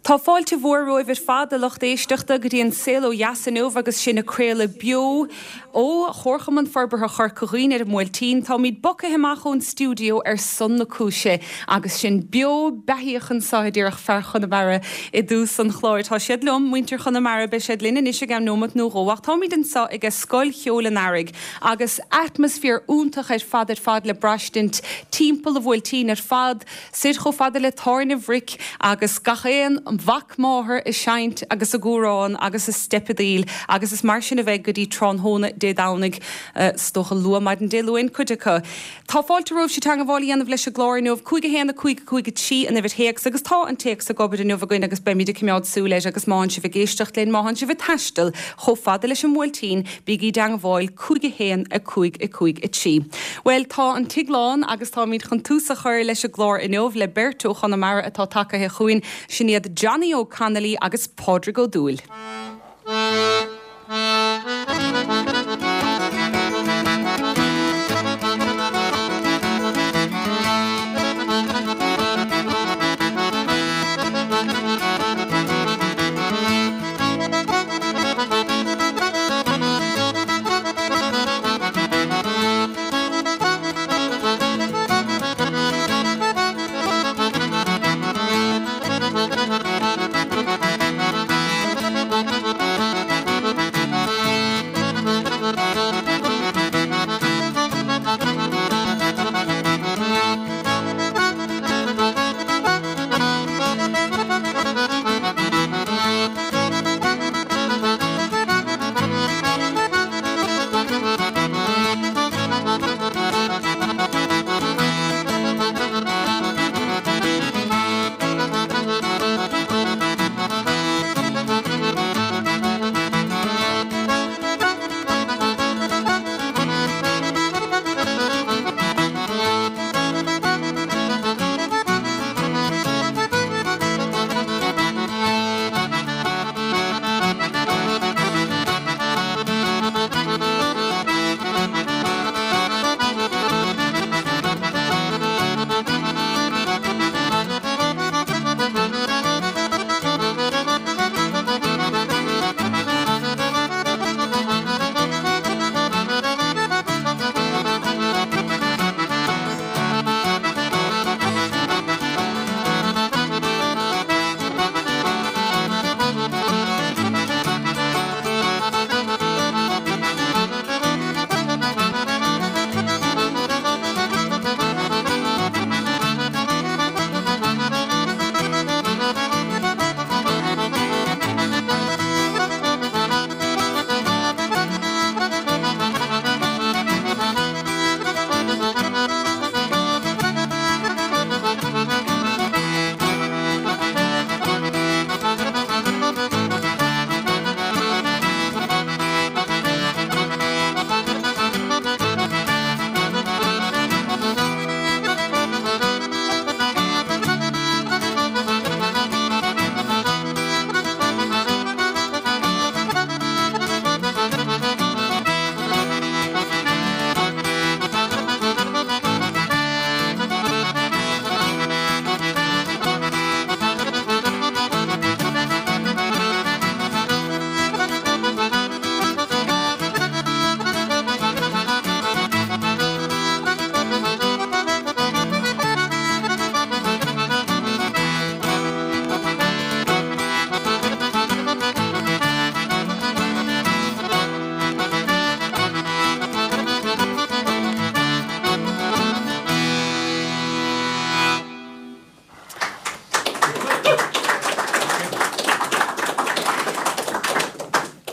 Tá fáilte mhór romhaibh ar fad, a lucht éisteachta, go dtí an Saol Ó Dheas inniu agus sinn ag craoladh beo ó Chomharchumann Forbartha Chorca Dhuibhne ar an mBuailtín. Táimid bogtha amach ón stiúideo ar son na cúise agus sinn beo beathaíoch anseo, a déarfadh fear Chonamara i dtús an chláir. Tá siad liom, muintir Chonamara, beidh siad linn anois i gceann nóimeat nó dhó ach táimid anseo ag Scoil Cheoil an Earraigh agus atmaisféar iontach ar fad ar fad le braistint timpeall an Bhuailtín ar fad. Soir chomh fada le Tábhairne Bhric agus gach aon mhac máthar ag seinnt agus ag amhrán agus ag steipeadaíl agus is mar sin a bheidh go dtí tráthnóna Dé Domhnaigh, is dócha luath maidin Dé Luain cuid acu. Tá fáilte romhaibhse teangabháil a dhéanamh leis an gclár inniu, 5 1 5 5 3 an uimhir théacs agus tá an téacs ag obair inniu againn agus beimid ag coimeád súil air agus má thánn sibh ag éisteacht linn, má thánn sibh ag taisteal chomh fada leis an mBuailtín, Bígí i dteangmháil 5 1 5 5 3. Bhuel, tá an tigh lán agus táimid chun tús a chur leis an gclár inniu le beirt ó Chonamara atá tagaithe chugainn, sin iad Johnny Óg Connolly agus Pádraig Ó Dúill.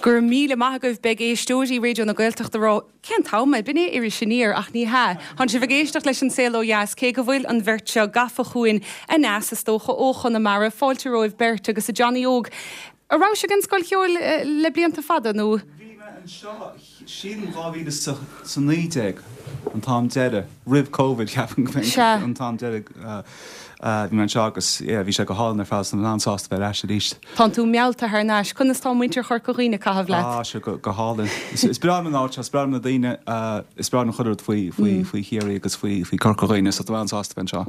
Go raibh míle maith agaibh. Beidh éisteoirí Raidió na Gaeltachta ag rá, Cén t-am é? B'in é Iris Aniar, ach ní hea. Tánn sibh ag éisteacht leis an Saol Ó Dheas, cé go bhfuil an bheirt seo gafa chugainn aneas, is dócha, ó Chonamara. Fáilte romhaibh beirt agus a Johnny Óg, a' raibh sibh ag an Scoil Cheoil le blianta fada nó? Bhí mé anseo, sílim 2019 an t-am deireadh, roimh Covid, ceapaim go mb'in an t-am deireadh. Bhí mé anseo agus yeah bhí sé go hálainn ar fad so tá mé an-sásta bheith ar ais arís. Tánn tú meallta thar n-ais. Conas tá muintir Chorca Dhuibhne ag caitheamh leat? Ah sure go hálainn. Is breá liom an áit seo, is breá liom na daoine, is breá liom chuile rud faoi faoi faoi Chiarraí agus faoi faoi Corca Dhuibhne so tá mé an-sásta bheith anseo.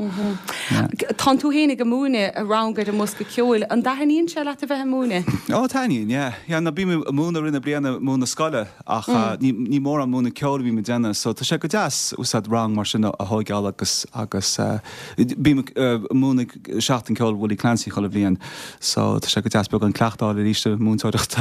Yeah. Tánn tú fhéinig ag múineadh rang ar an mbosca ceoil. An dtaitníonn sé leat a bheith ag múineadh? Ó taitníonn, yeah. Yeah no bím ag múineadh i rith na bliana, múineadh scoile ach ní ní mórán múineadh ceoil a bhím ag déanamh so tá sé go deas úsáid rang mar sin a thóigeáil agus agus Bím ag múineadh Seachtain Ceoil Willie Clancy chuile bhliain so tá sé go deas beagán cleachtadh a fháil arís i múinteoireacht,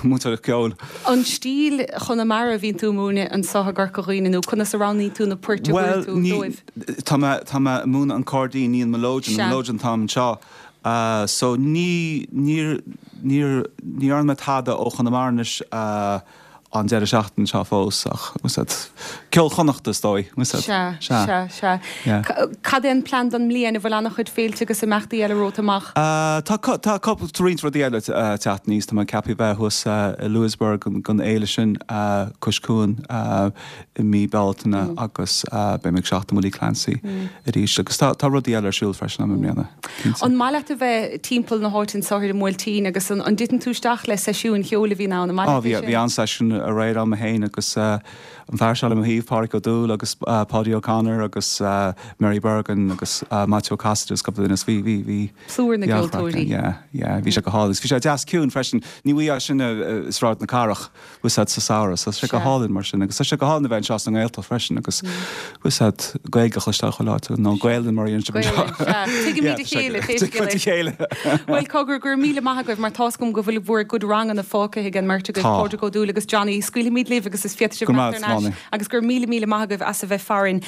múinteoireacht ceoil. An stíl Chonamara a bhíonn tú ag múineadh anseo i gCorca Dhuibhne nó conas a roghnaíonn tú na poirt a mhúineann tú dóibh? Bhuel, tá mé, tá mé ag múineadh an cairdín, ní an mileoidean, an mileoidean atáim anseo so ní, níor, níor, ní dhearna mé tada ó Chonamara anois. an deireadh seachtaine seo fós ach úsáid ceol Chonnachta is dóigh. Úsáid. Sea, sea, sea. Yeah. Cad é an plean don mbliain? An bhfuil an-chuid féilte agus imeachtaí eile romhat amach? Tá tá tá roinnt rudaí eile ag teacht aníos. Tá mé ceaptha bheith thuas i Louisburgh don fhéile sin cois cuain i mí Bealtaine agus beidh mé ag Seachtain Willie Clancy arís agus tá tá rudaí eile ar siúl freisin agam i mbliana, cinnte. An maith leat a bheith timpeall na háite anseo ar an mBuailtín agus an an dtiteann tú isteach le seisiúin cheoil a bhíonn ann? An maith leat é sin? Bhí an-seisiún aréir agam féin agus an fear seo le mo thaobh, Pádraic Ó Dúill agus Paudie O'Connor agus Mary Bergin agus Maitiú Ó Casaide agus cúpla duine is bhí bhí bhí Plúr na gceoltóirí. Yeah, yeah, bhí sé go hálainn agus bhí sé deas ciúin freisin. Ní bhfaighfeá sin i Sráid na Cathrach. Úsáid sa samhradh. So tá sé go hálainn mar sin agus tá sé go hálainn a bheith anseo sa nGaeltacht freisin agus úsáid Gaeilge a chloisteáil chuile áit nó Gaelainn mar a deireann sibh anseo. Gaelainn, sea. Tuigimid a chéile, pé scéal é. Tuigimid a chéile. Bhuel, cogar, go raibh míle maith agaibh mar tá's agam go bhfuil bhur gcuid ranganna fágtha ag an mbeirt agaibh, Tá. Pádraig Ó Dúill agus Johnny. Scaoilfimid libh agus is féadfaidh sibh Go raibh imeacht maith thar agat, n-ais agus go raibh míle míle maith agaibh as a bheith farainn.